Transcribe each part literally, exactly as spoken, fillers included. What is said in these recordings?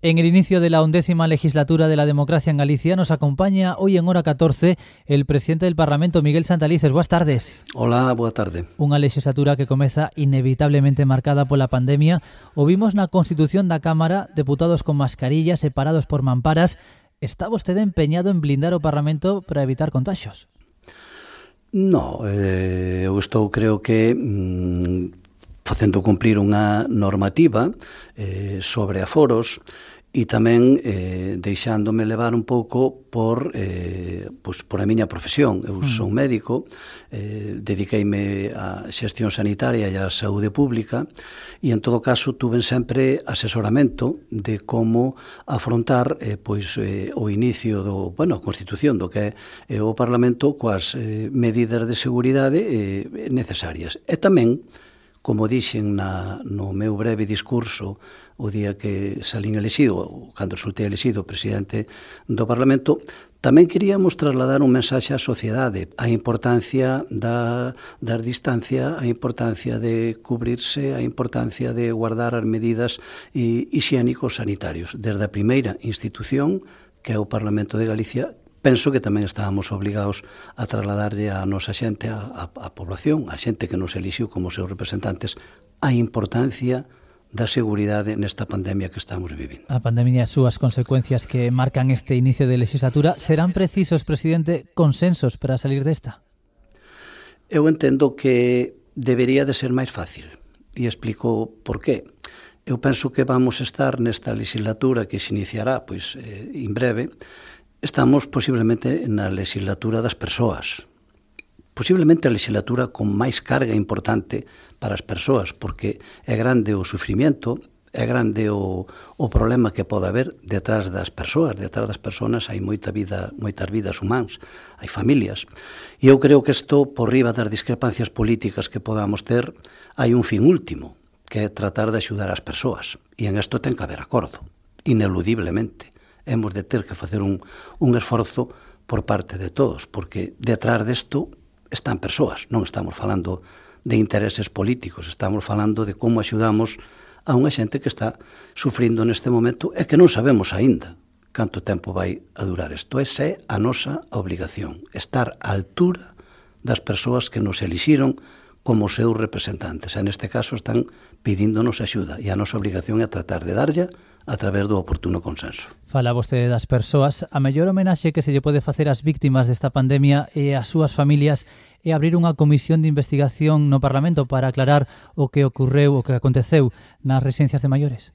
En el inicio de la undécima legislatura de la democracia en Galicia nos acompaña hoy en hora catorce el presidente del Parlamento, Miguel Santalices. Boas tardes. Hola, boa tarde. Unha legislatura que comeza inevitablemente marcada pola pandemia. O vimos na Constitución da Cámara, deputados con mascarillas separados por mamparas. Está vostede empeñado en blindar o Parlamento para evitar contagios? No, eh, eu estou, creo que... Mmm, facendo cumprir unha normativa eh, sobre aforos e tamén eh, deixándome levar un pouco por, eh, pues, por a miña profesión. Eu son médico, eh, dediqueime á xestión sanitaria e á saúde pública e, en todo caso, tuve sempre asesoramento de como afrontar eh, pois, eh, o inicio do, bueno, a constitución do que é eh, o Parlamento coas eh, medidas de seguridade eh, necesarias. E tamén, como dixen na, no meu breve discurso o día que salín elexido, cando resultei elexido presidente do Parlamento, tamén queríamos trasladar un mensaxe á sociedade, a importancia da, da distancia, a importancia de cubrirse, a importancia de guardar as medidas hixiénicos sanitarios. Desde a primeira institución, que é o Parlamento de Galicia, penso que tamén estábamos obligados a trasladarlle a nosa xente, a, a, a población, a xente que nos elixiu como seus representantes, a importancia da seguridade nesta pandemia que estamos vivindo. A pandemia e as súas consecuencias que marcan este inicio de legislatura, serán precisos, presidente, consensos para salir desta? Eu entendo que debería de ser máis fácil e explico por qué. Eu penso que vamos estar nesta legislatura que se iniciará pois, eh, en breve. Estamos posiblemente na legislatura das persoas, posiblemente a legislatura con máis carga importante para as persoas, porque é grande o sufrimiento, é grande o, o problema que pode haber detrás das persoas. Detrás das persoas hai moita vida, moitas vidas humanas, hai familias. E eu creo que isto, por riba das discrepancias políticas que podamos ter, hai un fin último, que é tratar de axudar as persoas. E en isto ten que haber acordo, ineludiblemente. Hemos de ter que facer un, un esforzo por parte de todos, porque detrás desto están persoas, non estamos falando de intereses políticos, estamos falando de como axudamos a unha xente que está sufrindo neste momento e que non sabemos aínda canto tempo vai a durar isto. Esa é a nosa obligación, estar á altura das persoas que nos elixiron como seus representantes. E neste caso están pidíndonos axuda e a nosa obrigación é tratar de darlla a través do oportuno consenso. Fala vostede das persoas. A mellor homenaxe que se lle pode facer ás víctimas desta pandemia e ás súas familias é abrir unha comisión de investigación no Parlamento para aclarar o que ocorreu, o que aconteceu nas residencias de maiores.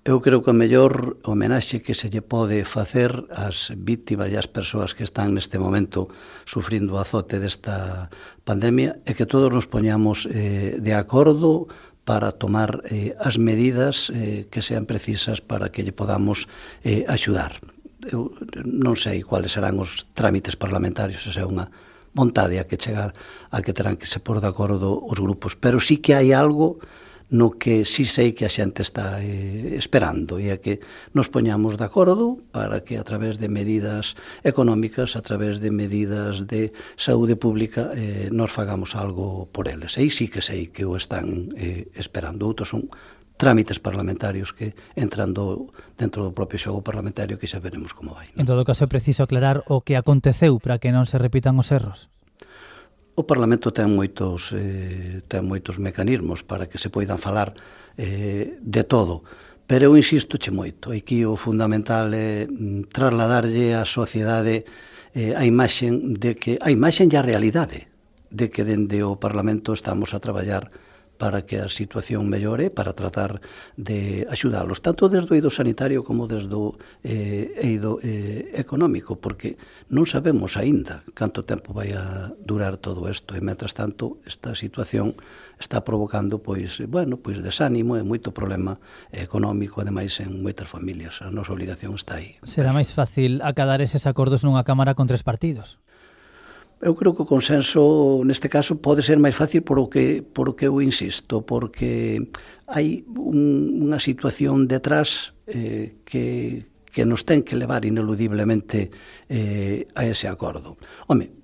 Eu creo que a mellor homenaxe que se lle pode facer ás víctimas e ás persoas que están neste momento sufrindo o azote desta pandemia é que todos nos poñamos eh, de acordo para tomar eh, as medidas eh, que sean precisas para que lle podamos eh, axudar. Eu non sei cuáles serán os trámites parlamentarios, esa é unha vontade a que chegar a que terán que se pôr de acordo os grupos, pero sí que hai algo no que sí sei que a xente está eh, esperando e é que nos poñamos de acordo para que a través de medidas económicas, a través de medidas de saúde pública eh, nos fagamos algo por eles. E sí que sei que o están eh, esperando. Outros son trámites parlamentarios que entrando dentro do propio xogo parlamentario que xa veremos como vai, non? En todo caso é preciso aclarar o que aconteceu para que non se repitan os erros. O Parlamento ten moitos, eh, ten moitos mecanismos para que se poidan falar eh, de todo, pero eu insisto che moito. Aquí o fundamental é trasladarlle á sociedade eh, a imaxen de que a imaxen e a realidade de que dende o Parlamento estamos a traballar para que a situación mellore, para tratar de axudalos, tanto desde o eido sanitario como desde o eh, eido eh, económico, porque non sabemos aínda canto tempo vai a durar todo isto, e, mentras tanto, esta situación está provocando, pois, bueno, pois desánimo e moito problema económico, ademais, en moitas familias. A nosa obligación está aí. Será máis fácil acadar eses acordos nunha Cámara con tres partidos? Eu creo que o consenso neste caso pode ser máis fácil por o que, por o que eu insisto, porque hai un, unha situación detrás eh, que, que nos ten que levar ineludiblemente eh, a ese acordo. Home,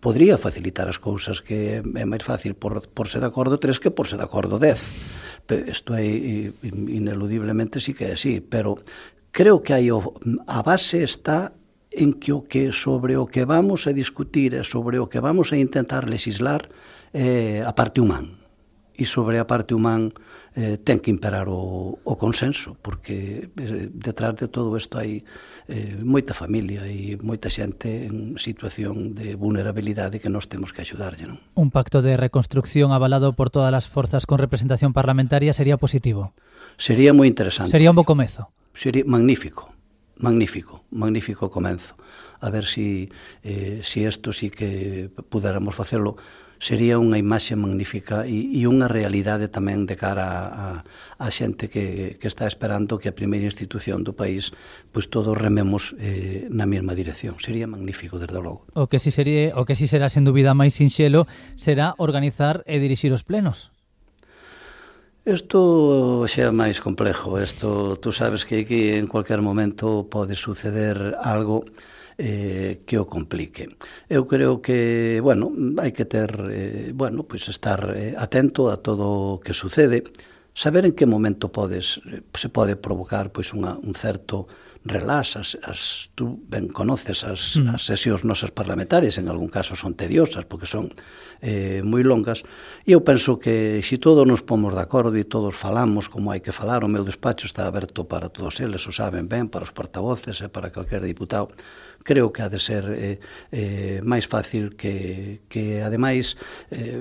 podría facilitar as cousas, que é máis fácil por, por ser de acordo tres que por ser de acordo dez, isto é ineludiblemente sí que é así, pero creo que hai o, a base está en que o que sobre o que vamos a discutir e sobre o que vamos a intentar legislar é a parte humana. E sobre a parte humana eh, ten que imperar o, o consenso, porque eh, detrás de todo isto hai eh, moita familia e moita xente en situación de vulnerabilidade que nós temos que axudarlle, non? Un pacto de reconstrucción avalado por todas as forzas con representación parlamentaria sería positivo? Sería moi interesante. Sería un bo comezo? Sería magnífico, magnífico, magnífico comenzo. A ver si eh, si isto sí que pudéramos facelo, sería unha imaxe magnífica e, e unha realidade tamén de cara a, a xente que, que está esperando que a primeira institución do país pois todos rememos eh, na mesma dirección. Sería magnífico, desde logo. O que si sería, o que si será sen dúbida máis sinxelo será organizar e dirixir os plenos. Isto xa é máis complexo. Isto, tú sabes que aquí en cualquier momento pode suceder algo eh, que o complique. Eu creo que, bueno, hai que ter, eh, bueno, pois estar eh, atento a todo o que sucede, saber en que momento podes, se pode provocar pois unha, un certo relax, as, as, tú ben conoces as, mm. as sesións nosas parlamentarias, en algún caso son tediosas porque son eh, moi longas, e eu penso que se todos nos pomos de acordo e todos falamos como hai que falar, o meu despacho está aberto para todos eles, o saben ben, para os portavoces e para calquer diputado, creo que ha de ser eh, eh, máis fácil que, que ademais eh,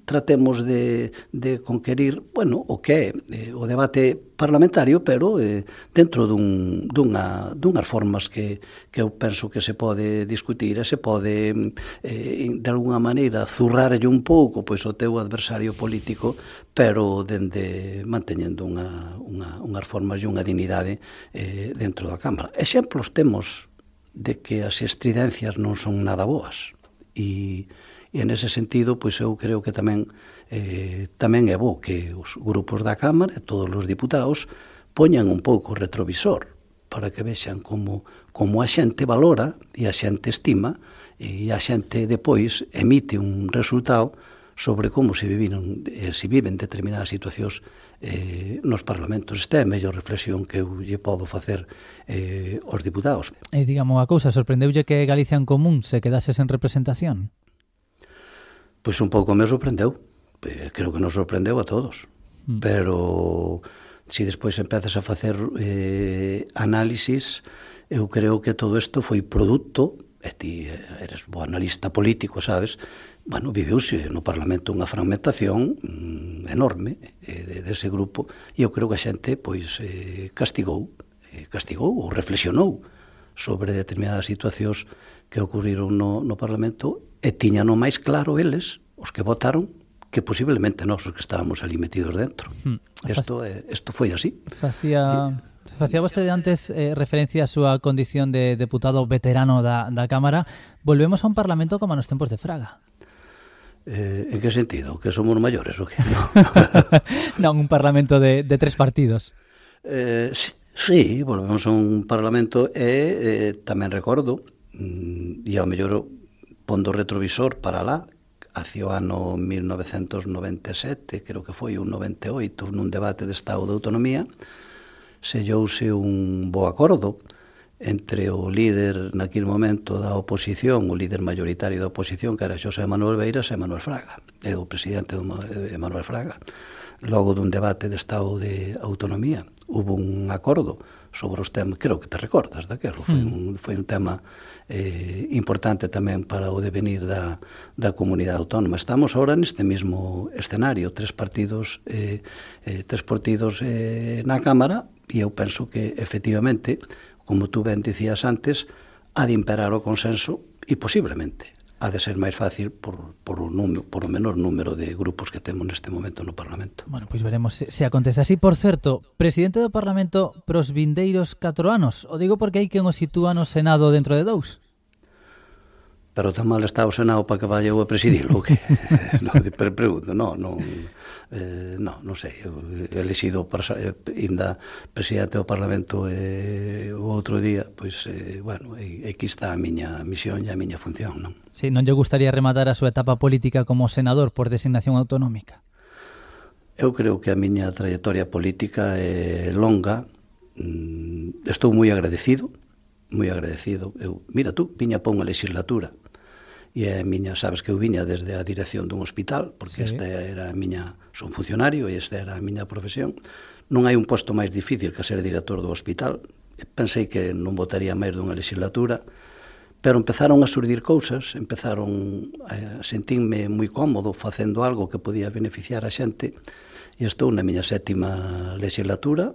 tratemos de, de conquerir, bueno, o que é eh, o debate parlamentario, pero eh, dentro dun, dunha, dunhas formas que, que eu penso que se pode discutir e se pode eh, de alguna maneira zurrarlle un pouco pois o teu adversario político, pero dende manteñendo unha, unha, unhas formas e unha dignidade eh, dentro da Cámara. Exemplos temos de que as estridencias non son nada boas e, e en ese sentido pois eu creo que tamén eh, tamén é bo que os grupos da Cámara e todos os diputados poñan un pouco o retrovisor para que vexan como, como a xente valora e a xente estima e a xente depois emite un resultado sobre como se viviron, eh, se viven determinadas situacións eh, nos parlamentos. Esta é a mellor reflexión que eu lle podo facer eh, aos diputados. E digamos a cousa, sorprendeulle que Galicia en Común se quedase sen representación? Pois un pouco me sorprendeu. Eh, creo que nos sorprendeu a todos. Mm. Pero se despois empezas a facer eh, análisis, eu creo que todo isto foi produto, e ti eres bo analista político, sabes, bueno, viveuse no Parlamento unha fragmentación mm, enorme eh, dese grupo e eu creo que a xente pois eh, castigou, eh, castigou ou reflexionou sobre determinadas situacións que ocurriron no, no Parlamento e tiñan o máis claro eles, os que votaron, que posiblemente nós os que estábamos ali metidos dentro. Hmm. Isto, eh, isto foi así. Facía... Facía vostede antes eh, referencia á súa condición de deputado veterano da, da Cámara. Volvemos a un Parlamento como nos tempos de Fraga. Eh, en que sentido? Que somos maiores ou que? No. Non, un parlamento de, de tres partidos. Eh, sí, sí, volvemos a un parlamento e eh, tamén recordo, e ao mellor pondo retrovisor para lá, hacia o ano mil novecentos noventa e sete, creo que foi un noventa e oito, nun debate de Estado de Autonomía, sellouse un bo acordo entre o líder naquele momento da oposición, o líder mayoritario da oposición, que era Xosé Manuel Beiras e Manuel Fraga, e o presidente de Manuel Fraga. Logo dun debate de Estado de Autonomía, hubo un acordo sobre os temas, creo que te recordas daquelo, foi un, foi un tema eh, importante tamén para o devenir da, da comunidade autónoma. Estamos ahora neste mesmo escenario, tres partidos, eh, eh, tres partidos eh, na Cámara, e eu penso que, efectivamente, como tú ben dicías antes, ha de imperar o consenso e posiblemente ha de ser máis fácil por, por, o, número, por o menor número de grupos que temos neste momento no Parlamento. Bueno, pois veremos se, se acontece así. Por certo, presidente do Parlamento pros vindeiros catro anos, o digo porque hai quen o sitúa no Senado dentro de dous. Pero tan mal está o Senado para que vaya eu a presidilo, que no, pero pregunto, no, non, eh, no, non sei, eu he elegido eh, ainda presidente do Parlamento eh, o outro día, pois, eh, bueno, aquí está a miña misión e a miña función, non? Si, non lle gustaría rematar a súa etapa política como senador por designación autonómica? eu creo que a miña trayectoria política é longa. Estou moi agradecido, moi agradecido. Eu, mira tú, viña pa unha legislatura e a miña, sabes que eu viña desde a dirección dun hospital, porque sí. esta era a miña, son funcionario e esta era a miña profesión. Non hai un posto máis difícil que ser director do hospital. Pensei que non votaría máis dunha legislatura, pero empezaron a surdir cousas, empezaron a sentirme moi cómodo facendo algo que podía beneficiar a xente, e estou na miña sétima legislatura,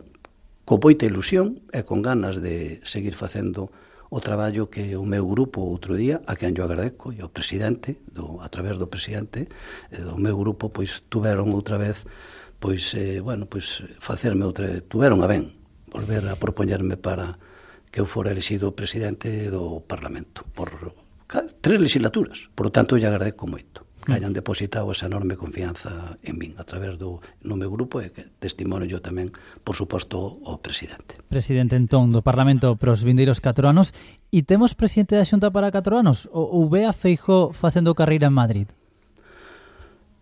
con moita ilusión e con ganas de seguir facendo o traballo que o meu grupo outro día, a quen yo agradeco, e o presidente, do, a través do presidente, do meu grupo, pois tuveron outra vez, pois, eh, bueno, pois facerme outra vez, tuveron a ben, volver a propoñerme para que eu fora elexido presidente do Parlamento, por tres legislaturas, por lo tanto, lle agradeco moito que hayan depositado esa enorme confianza en min a través do no meu grupo e que testimonio yo tamén, por suposto, o presidente. Presidente, entón, do Parlamento para os vindeiros catro anos, e temos presidente da Xunta para catro anos? Ou ve a Feijóo facendo carreira en Madrid?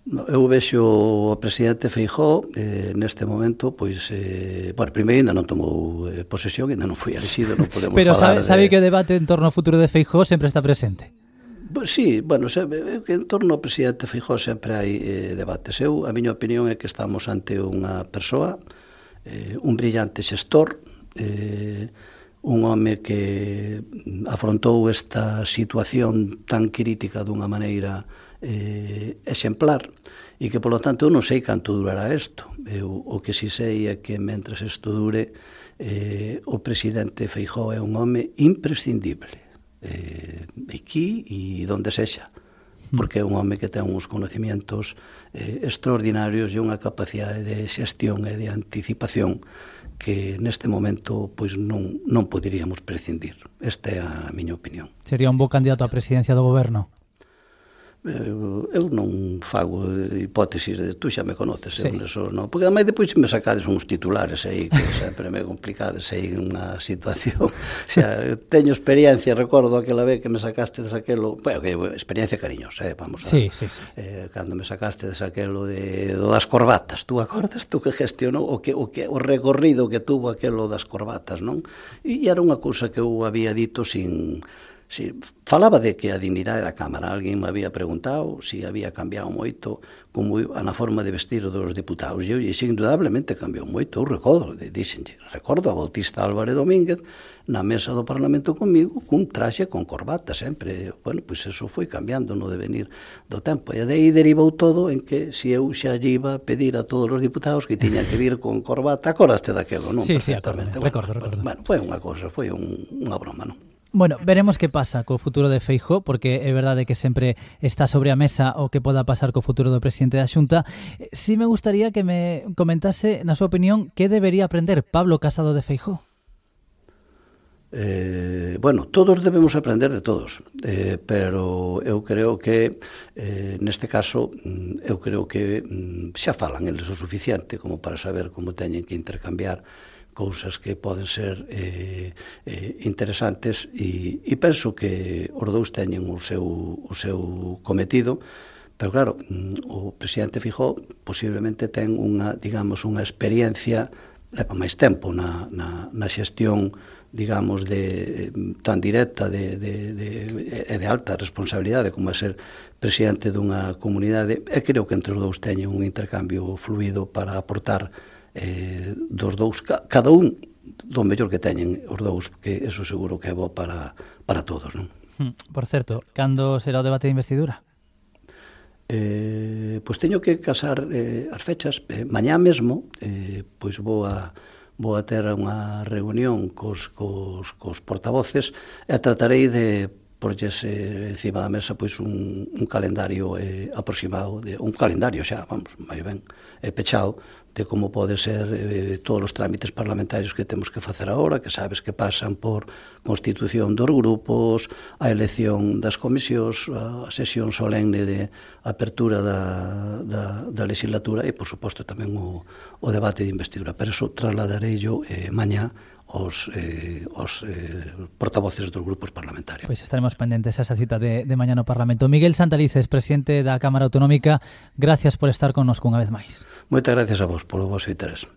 No, eu vexo o presidente Feijóo eh, neste momento, pois, eh, bueno, primeiro ainda non tomou eh, posesión, ainda non foi elexido, non podemos Pero falar sabe, sabe de... que o debate en torno ao futuro de Feijóo sempre está presente? Sí, bueno, que en torno ao presidente Feijóo sempre hai eh, debates. Eu, a miña opinión é que estamos ante unha persoa, eh, un brillante xestor, eh, un home que afrontou esta situación tan crítica dunha maneira eh, exemplar, e que, polo tanto, eu non sei canto durará isto. Eu, o que si sei é que, mentres isto dure, eh, o presidente Feijóo é un home imprescindible. Eh, aquí e donde sexa, porque é un home que ten uns conocimientos eh, extraordinarios e unha capacidade de xestión e de anticipación que neste momento pois non, non poderíamos prescindir. Esta é a miña opinión. Sería un bo candidato á presidencia do goberno? Eu, eu non fago hipótesis de tú xa me conoces, sí. eu neso, non, porque ademais depois me sacades uns titulares aí que sempre me complicades aí unha situación. Xa, teño experiencia, recordo aquela vez que me sacaste de aquelo, bueno, que experiencia cariñosa, eh, vamos a sí, sí, sí. Eh, cando me sacaste de aquelo de do das corbatas, tú acordas tú que gestionou o que o que o recorrido que tuvo aquelo das corbatas, non? E era unha cousa que eu había dito sin Si, falaba de que a dignidade da Cámara, alguén me había preguntado se si había cambiado moito como na forma de vestir dos deputados, e eu dixo, indudablemente cambiou moito. Eu recordo, dixenlle, recordo a Bautista Álvarez Domínguez na mesa do Parlamento comigo, cun traxe con corbata sempre. Bueno, pois eso foi cambiando no devenir do tempo, e de aí derivou todo en que se eu xa lle iba a pedir a todos os diputados que tiñan que vir con corbata, acordaste daquelo, non? Sí, sí, recordo, bueno, recordo, recordo. Bueno, foi unha cousa, foi un, unha broma, non? Bueno, veremos que pasa co futuro de Feijóo, porque é verdade que sempre está sobre a mesa o que poda pasar co futuro do presidente da Xunta. Si me gustaría que me comentase, na súa opinión, que debería aprender Pablo Casado de Feijóo? Eh, bueno, todos debemos aprender de todos, eh, pero eu creo que eh, neste caso eu creo que xa falan eles o suficiente como para saber como teñen que intercambiar cousas que poden ser eh, eh, interesantes, e, e penso que os dous teñen o seu, o seu cometido, pero claro, o presidente Feijóo posiblemente ten unha, digamos, unha experiencia, leva máis tempo na, na, na xestión, digamos, de, tan directa de, de, de, de, de alta responsabilidade como é ser presidente dunha comunidade, e creo que entre os dous teñen un intercambio fluido para aportar eh, dos dous, cada un do mellor que teñen os dous, que eso seguro que é bo para, para todos, non? Por certo, cando será o debate de investidura? Eh, pois teño que casar eh, as fechas. Eh, mañá mesmo, eh, pois vou a vou a ter unha reunión cos, cos, cos portavoces e tratarei de porlles eh, encima da mesa pois un, un calendario eh, aproximado, de, un calendario xa, vamos, máis ben, eh, pechado, de como pode ser eh, todos os trámites parlamentarios que temos que facer agora, que sabes que pasan por constitución dos grupos, a elección das comisións, a sesión solemne de apertura da, da, da legislatura e, por suposto, tamén o, o debate de investidura. Pero eso trasladarei yo eh, mañá os, eh, os eh, portavoces dos grupos parlamentarios. Pois estaremos pendentes a esa cita de, de mañá no Parlamento. Miguel Santalices, presidente da Cámara Autonómica, gracias por estar connosco unha vez máis. Moitas gracias a vos polo vosso interés.